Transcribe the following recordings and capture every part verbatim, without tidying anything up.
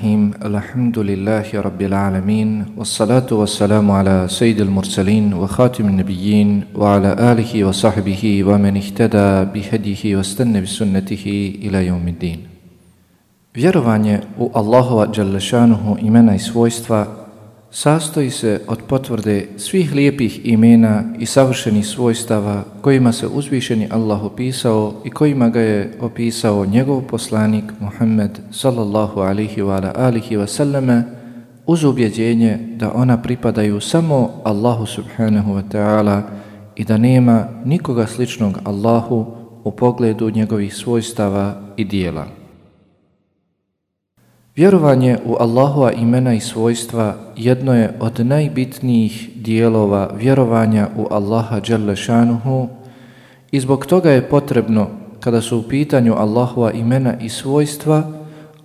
Bismillahirrahmanirrahim. Alhamdulillahi rabbil alamin. Wassalatu wassalamu ala sayyidil mursalin wa khatimin nabiyyin wa ala alihi wa sahbihi wa man ihtada bihadihi wa stanna bi sunnatihi ila yawmiddin. Vjerovanje u Allahova dželle šanuhu imena i svojstva sastoji se od potvrde svih lijepih imena i savršenih svojstava kojima se uzvišeni Allah opisao i kojima ga je opisao njegov poslanik Muhammed sallallahu alihi wa alihi wa sallame, uz ubjeđenje da ona pripadaju samo Allahu subhanahu wa ta'ala i da nema nikoga sličnog Allahu u pogledu njegovih svojstava i dijela. Vjerovanje u Allahova imena i svojstva jedno je od najbitnijih dijelova vjerovanja u Allaha dželle šanuhu i zbog toga je potrebno, kada su u pitanju Allahova imena i svojstva,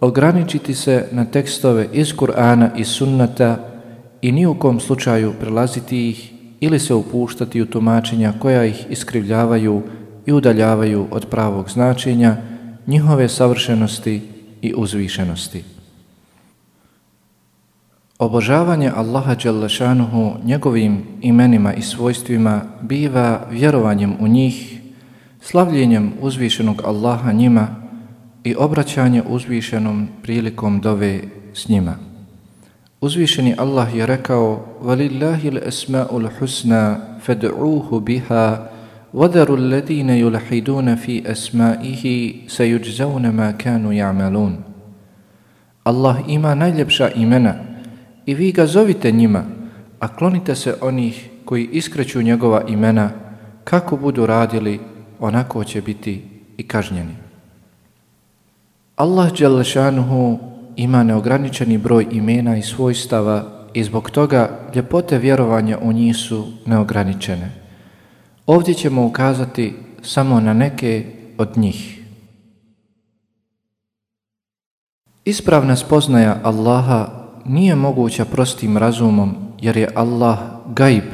ograničiti se na tekstove iz Kur'ana i sunnata i ni u kom slučaju prelaziti ih ili se upuštati u tumačenja koja ih iskrivljavaju i udaljavaju od pravog značenja, njihove savršenosti i uzvišenosti. Obožavanje Allaha dželle šanuhu njegovim imenima i svojstvima biva vjerovanjem u njih, slavljenjem uzvišenog Allaha njima i obraćanje uzvišenom prilikom dove s njima. Uzvišeni Allah je rekao: "Valillahi al-asma'ul husna fad'uuhu biha وَذَرُوا الَّذِينَ يُلْحِدُونَ فِي أَسْمَائِهِ سَيُجْزَوْنَ مَا كَانُوا يَعْمَلُونَ." Allah ima najljepša imena i vi ga zovite njima, a klonite se onih koji iskreću njegova imena, kako budu radili, onako će biti i kažnjeni. Allah dželle šanuhu ima neograničeni broj imena i svojstava i zbog toga ljepote vjerovanja u njih su neograničene. Ovdje ćemo ukazati samo na neke od njih. Ispravna spoznaja Allaha nije moguća prostim razumom, jer je Allah gajb.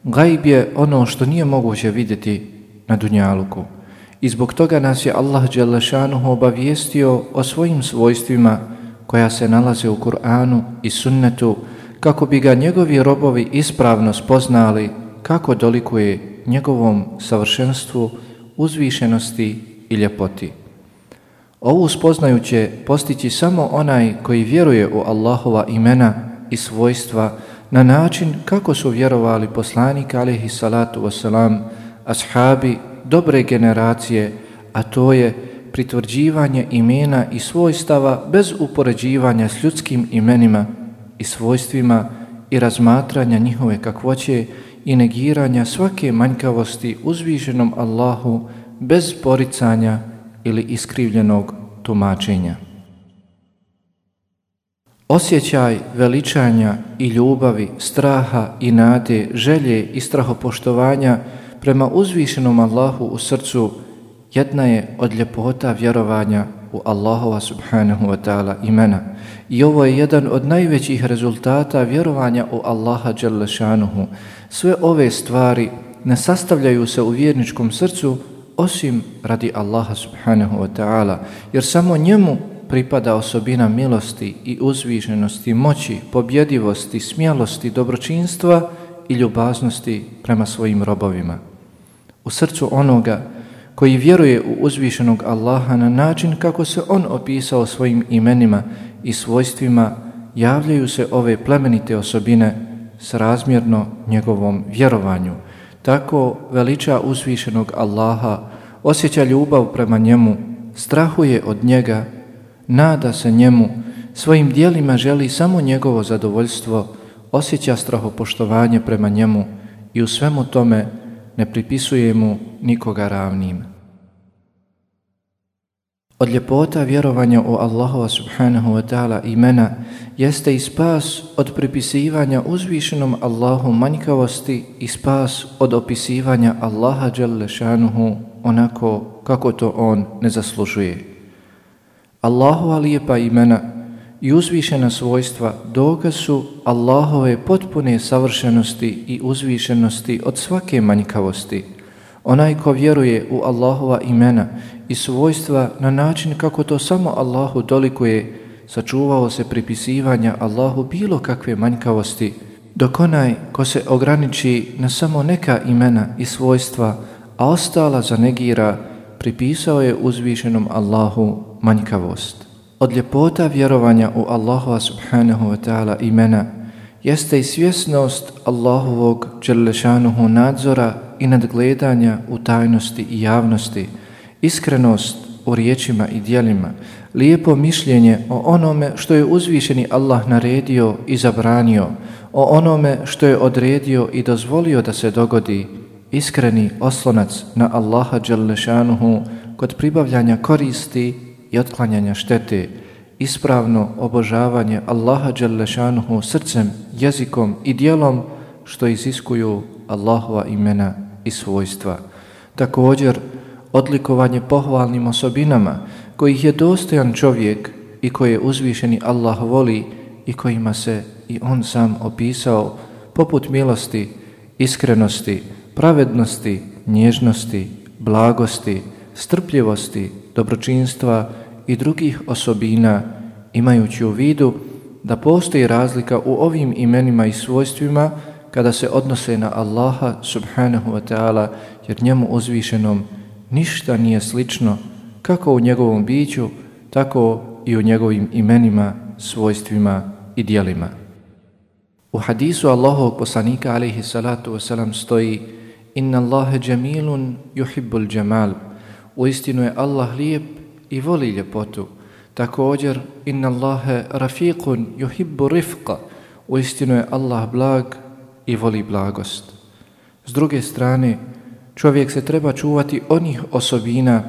Gajb je ono što nije moguće vidjeti na dunjaluku. I zbog toga nas je Allah dželle šanuhu obavijestio o svojim svojstvima koja se nalaze u Kur'anu i sunnetu, kako bi ga njegovi robovi ispravno spoznali kako dolikuje njegovom savršenstvu, uzvišenosti i ljepoti. Ovu spoznaju će postići samo onaj koji vjeruje u Allahova imena i svojstva na način kako su vjerovali poslanik alejhi salatu vesselam, ashabi dobre generacije, a to je pritvrđivanje imena i svojstava bez upoređivanja s ljudskim imenima i svojstvima i razmatranja njihove kakvoće i negiranja svake manjkavosti uzvišenom Allahu bez poricanja ili iskrivljenog tumačenja. Osjećaj veličanja i ljubavi, straha i nade, želje i strahopoštovanja prema uzvišenom Allahu u srcu jedna je od ljepota vjerovanja u Allahova subhanahu wa ta'ala imena. I ovo je jedan od najvećih rezultata vjerovanja u Allaha dželle šanuhu. Sve ove stvari ne sastavljaju se u vjerničkom srcu osim radi Allaha subhanahu wa ta'ala, jer samo njemu pripada osobina milosti i uzvišenosti, moći, pobjedivosti, smjelosti, dobročinstva i ljubaznosti prema svojim robovima. U srcu onoga koji vjeruje u uzvišenog Allaha na način kako se on opisao svojim imenima i svojstvima, javljaju se ove plemenite osobine srazmjerno njegovom vjerovanju. Tako veliča uzvišenog Allaha, osjeća ljubav prema njemu, strahuje od njega, nada se njemu, svojim dijelima želi samo njegovo zadovoljstvo, osjeća strahopoštovanje prema njemu i u svemu tome ne pripisuje mu nikoga ravnim. Od ljepota vjerovanja u Allahova subhanahu wa ta'ala imena jeste i spas od pripisivanja uzvišenom Allahu manjkavosti i spas od opisivanja Allaha dželle šanuhu onako kako to on ne zaslužuje. Allahova lijepa imena i uzvišena svojstva dokaz su Allahove potpune savršenosti i uzvišenosti od svake manjkavosti. Onaj ko vjeruje u Allahova imena i svojstva na način kako to samo Allahu dolikuje, sačuvao se pripisivanja Allahu bilo kakve manjkavosti, dok onaj ko se ograniči na samo neka imena i svojstva, a ostala zanegira, pripisao je uzvišenom Allahu manjkavost. Od ljepota vjerovanja u Allahova subhanahu wa ta'ala imena jeste i svjesnost Allahovog dželešanuhu nadzora i nadgledanja u tajnosti i javnosti, iskrenost u riječima i djelima, lijepo mišljenje o onome što je uzvišeni Allah naredio i zabranio, o onome što je odredio i dozvolio da se dogodi, iskreni oslonac na Allaha dželešanuhu kod pribavljanja koristi i otklanjanja štete, ispravno obožavanje Allaha dželešanuhu srcem, jezikom i djelom što iziskuju Allahova imena i svojstva. Također, odlikovanje pohvalnim osobinama kojih je dostojan čovjek i koje uzvišeni Allah voli i kojima se i on sam opisao, poput milosti, iskrenosti, pravednosti, nježnosti, blagosti, strpljivosti, dobročinstva i drugih osobina, imajući u vidu da postoji razlika u ovim imenima i svojstvima kada se odnose na Allaha subhanahu wa ta'ala, jer njemu uzvišenom ništa nije slično, kako u njegovom biću, tako i u njegovim imenima, svojstvima i djelima. U hadisu Allahovog poslanika alejhi salatu wasalam stoji: Inna Allahe džemilun yuhibbul džemal. Uistinu je Allah lijep i voli ljepotu. Također, Inna Allahe rafiqun yuhibbu rifqa. Uistinu je Allah blag i voli blagost. S druge strane, čovjek se treba čuvati onih osobina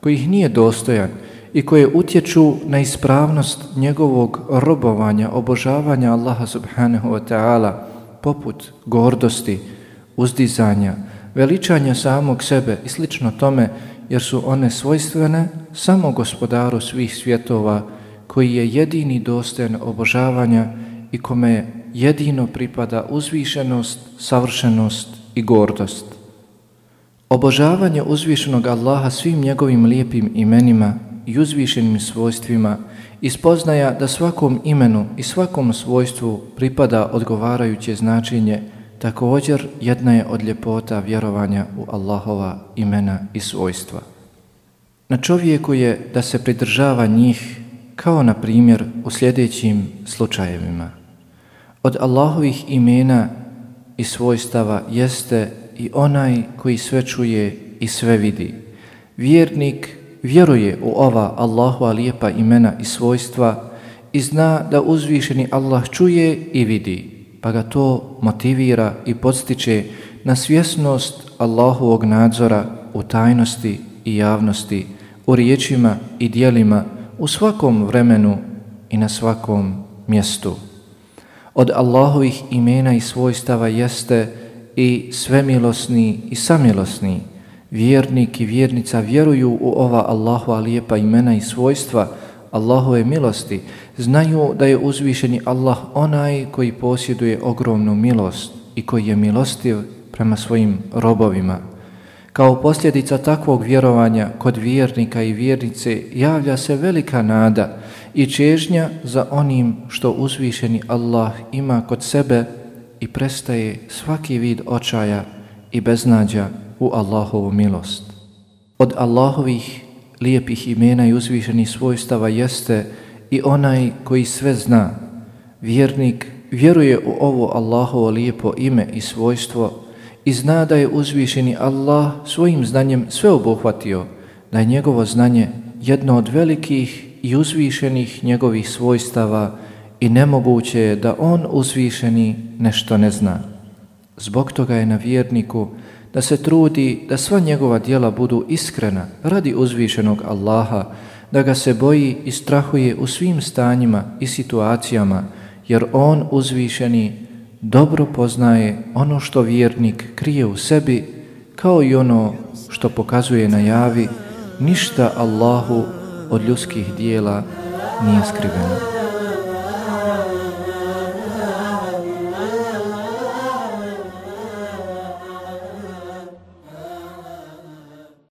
kojih nije dostojan i koje utječu na ispravnost njegovog robovanja, obožavanja Allaha subhanahu wa ta'ala, poput gordosti, uzdizanja, veličanja samog sebe i slično tome, jer su one svojstvene samo gospodaru svih svjetova, koji je jedini dostojan obožavanja i kome jedino pripada uzvišenost, savršenost i gordost. Obožavanje uzvišenog Allaha svim njegovim lijepim imenima i uzvišenim svojstvima i spoznaja da svakom imenu i svakom svojstvu pripada odgovarajuće značenje, također jedna je od ljepota vjerovanja u Allahova imena i svojstva. Na čovjeku je da se pridržava njih, kao na primjer u sljedećim slučajevima. Od Allahovih imena i svojstava jeste i onaj koji sve čuje i sve vidi. Vjernik vjeruje u ova Allahova lijepa imena i svojstva i zna da uzvišeni Allah čuje i vidi, pa ga to motivira i podstiče na svjesnost Allahovog nadzora u tajnosti i javnosti, u riječima i djelima, u svakom vremenu i na svakom mjestu. Od Allahovih imena i svojstava jeste i svemilosni i samilosni. Vjernik i vjernica vjeruju u ova Allahova lijepa imena i svojstva Allahove milosti, znaju da je uzvišeni Allah onaj koji posjeduje ogromnu milost i koji je milostiv prema svojim robovima. Kao posljedica takvog vjerovanja kod vjernika i vjernice javlja se velika nada i čežnja za onim što uzvišeni Allah ima kod sebe i prestaje svaki vid očaja i beznađa u Allahovu milost. Od Allahovih lijepih imena i uzvišenih svojstava jeste i onaj koji sve zna. Vjernik vjeruje u ovo Allahovo lijepo ime i svojstvo i zna da je uzvišeni Allah svojim znanjem sve obuhvatio, da je njegovo znanje jedno od velikih i uzvišenih njegovih svojstava i nemoguće je da on uzvišeni nešto ne zna. Zbog toga je na vjerniku da se trudi da sva njegova djela budu iskrena radi uzvišenog Allaha, da ga se boji i strahuje u svim stanjima i situacijama, jer on uzvišeni dobro poznaje ono što vjernik krije u sebi, kao i ono što pokazuje na javi. Ništa Allahu od ljudskih dijela nije skriveno.